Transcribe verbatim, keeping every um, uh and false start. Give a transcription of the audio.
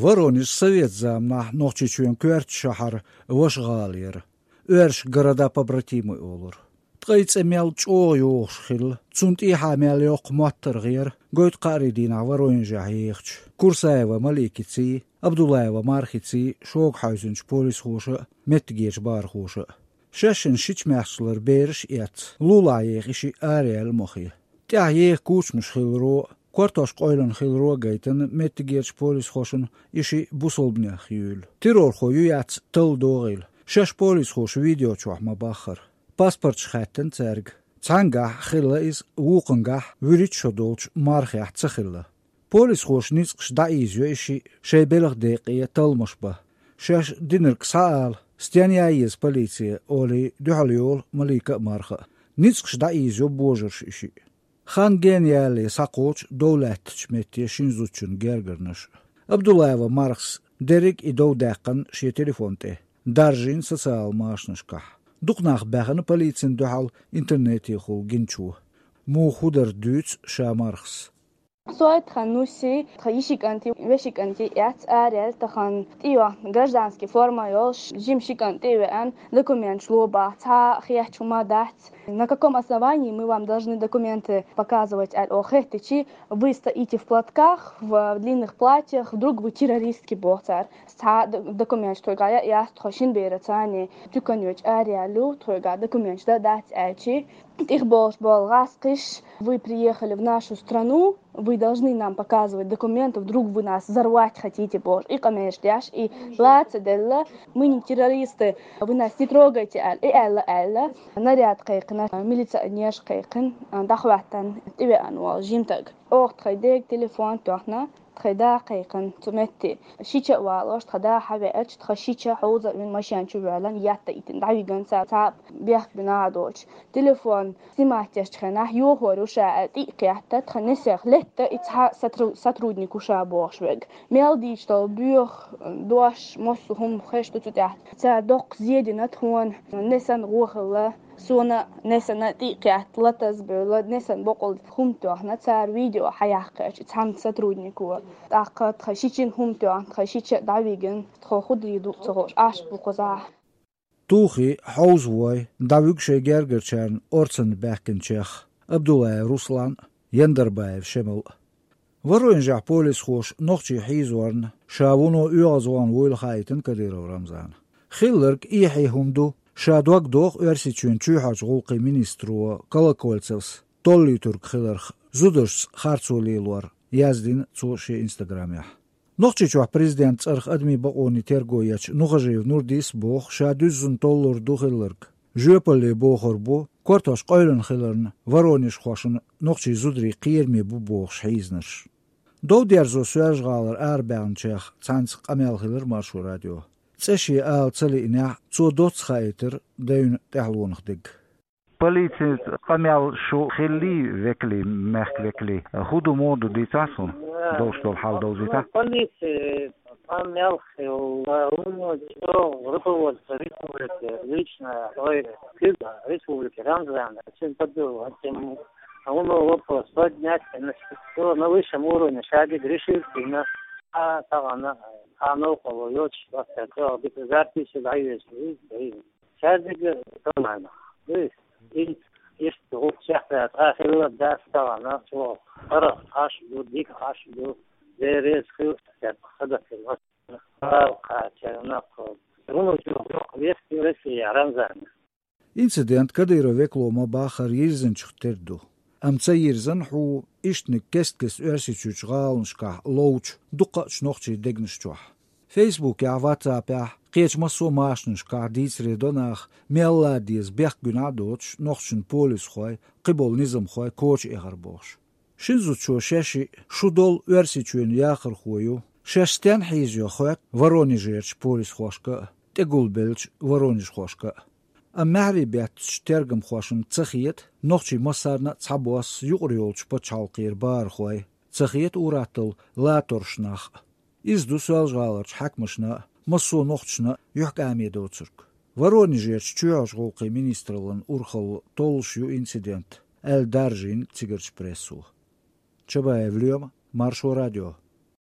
Воронеж совет заманахь Нохчийчоьнан коьртачу шахьар ваша гӀала яра. Оьрсаша города-побратимы олура. Ткъе цӀе мел чӀогӀа йогӀуш хилла, цунна тӀехьа мел йоккха моттаргӀа яра гойту кхаарин дийнахь Воронежехь ехачу Курсаева Маликиций, Абдуллаева Мархиций шога хьаьвзинчу полисхоша а, меттигерчу бахархоша а. Шаьшшинна шича-маьхча лара бераш а эцна, лулахь еха и шиъ араяьлла мохе. ТӀехь еха кучамаш хиларо а, картош къойлина хиларо а гайтина меттигерчу полисхошна и шиъ бусалбанех юьйлу. Террорхо ю-яц талла догӀийла, шаьш полисхоша видео чохь ма-баххара. Паспорташ хаьттина цаьрга. Цхьаьнгахь хилла иза, вукхуьнгахь, вуьрхӀитта шо долчу мархехь ца хилла. Полисхоша ницкъаша дӀаийзайо и шиъ, шайн белхан декъе талламаш бан. Шаьш динарг схьаала, стенна ян еза полице, олий дуьхьал йолу Малика а, Марха а. Ницкъаша дӀаийзайо божарша и шиъ. Хан гена ялале схьакхочу дов лаьттачу метте шина зудчун гергарнаш. Абдуллаева Мархас дерриг и дов даьккхина шен телефон тӀе, даржийна социал машанашкахь. Дукха нах баьхна полицина дуьхьал интернетехула гиначо. Муха хӀун дара дуьйцу ша Мархас. Со тхан нуси, тхан йиши кӀанти, веши кӀанти эцна араяьлла тхан тӀейоьхна гражданский форма йолуш, жима ши кӀант тӀе а веана, документаш ло боху, цхьа а хетта хӀума дац. На каком основании мы вам должны документы показывать, аьлла оха хеттичи, вы стоите в платках, в длинных платьях, вдруг вы террористки боху цара. Цхьа а д-, документаш тхоьга яц, тхо шина бераца цхьаьна туьканна йоьдуш араяьлла ю, тхоьга документаш дан дац аьлчи. ТӀехболуш болу гӀаскхиш, вы приехали в нашу страну, вы должны нам показывать документы, вдруг вы нас взорвать хотите, бохуш, и къамелаш деш, и ла ца делла, мы не террористы, вы нас не трогайте, аьлла, и аьлла, аьлла. Наряд кхайкхина, милиционерш кхайкхина, дӀахӀоьттина, тӀевеана волу жимтаг. Оха тхайн дега телефон тоьхна, тхайн да кхайкхина цу метте. Шича а валош, тхан да хьавеача, тхан шича хьовза а вина машен чу воьллина, етта а йитина, дӀавигина цара, цхьа а бехк бина а доцуш. Телефон снимать дечу хенахь, йохор ю ша аьлла, тӀе а кхетта, тхан несех летта, и цхьа сотру-, сотрудник ву ша бохуш верг. Мел дийчу долу боьха дош, массо а хӀума хезаш ду цу тӀехь. Цара доккха зе дина тхуна, несана гӀо хилла. Суна несана тӀе а кхетта, латаз бевлла, несана боккъал хӀума тоьхна, цара видео хьаяккхича цхьана сотруднико. ТӀаккха тхан шичина хӀума тоьхна, тхан шича а дӀавигина, тхо хӀун дийр ду ца хууш, Ӏаш бу кхузахь. Тухий, хьовзавой, дӀавуьгу шайн гергарчарна орцанна баьхкинчех Абдуллаев Руслан а, Яндарбаев Шемал а. Воронежехь полисхоша нохчий хьийзорна, ша вуно оьгӀазвахна вуйла хаийтина Кадыров Рамзана. Хилларг эхье хӀума ду, ша дог доху Оьрсийчоьнан чоьхьарчу гӀуллакхийн министро Колокольцевс толлуьйтург хиларх, зударшца харцо лелор, яздина цо шен инстаграмехь. Нохчийчохь президентан цӀарах адамийн бакъонийн терго ечу Нухажиев Нурдис а боху, ша дуьззина толлур ду хилларг. Жоьпалле бохур бу, картош къойлина хиларна, воронежхошна нохчийн зударий кхераме бу бохуш хьийзинарш. Дов дерзо Соьлжа-ГӀалара арабаьхначех цхьаьнца къамел хилира Маршо радион. ЦӀе шен ала ца лиънехь, цо доцца хаийтира девнан тӀаьхьалонах дерг. Полицин къамел шу хиллий, векалий, мехкан векалий? ХӀун ду, муха ду, дийцахьа суна, долуш долу хьал довзийтахьа? Ну, полицин къамел хилла, хӀунда аьлча руководство республики лично, ой, куьйга республики Рамзана, цуьнан поддержка, хӀунда вопрос поднять, на, на высшем уровне шадерг решил, на, а, тахана, а, новкъарло йоцуш, просто, дика запись дӀайоьшу, иза, иза. Цаьрдиг а нормально. Ду иза. Иштта гӀуллакх чекхдала, тӀаккха хилла дац тахана, чӀогӀа хӀара Ӏаш ду, дика Ӏаш ду, Дела реза хуьлда, цаьрца хадатина. Ала кхача нах, руно чу йоккха вехке Россия, Рамзан. Инцидент Кадыров векало ма-баххара йирзинчух тера ду. Амма ца йирзина хӀу, ишттаниг кест-кеста Оьрсийчуьрчу гӀаланашкахь ловчу дуккхаъчу нохчийн дегнаш чохь. Фейсбукехь, ватсапехь, кхечу массо а машанашкахь дийцаре до наха, мел а деза бехк-гуьнахь а доцуш, нохчашна полисхой, кхиболу низамхой коча эхар бохуш. Шина зудчо шаьш а, шу долу Оьрсийчоьнан яхархо ю, шаьш стенна хьийзайо хоьтту Воронежерчу полисхошка а, тӀегулбеллачу воронежхошка а. Амма маьхьарий беттачу тергамхошна ца хета нохчий массарна а цхьабосса юкъара йолчу пачхьалкхера бахархой, ца хета ур-атталла латорш нах а. Иза ду Соьлжа-ГӀаларчу хьаькамашна а, массо а нохчашна а юьхькӀаме доцург. Воронежерчу чоьхьарчу гӀуллакхийн министраллан урхалла толлуш ю инцидент, аьлла даржийна цигарчу прессо. Чабаев Лоьма, Маршо радио.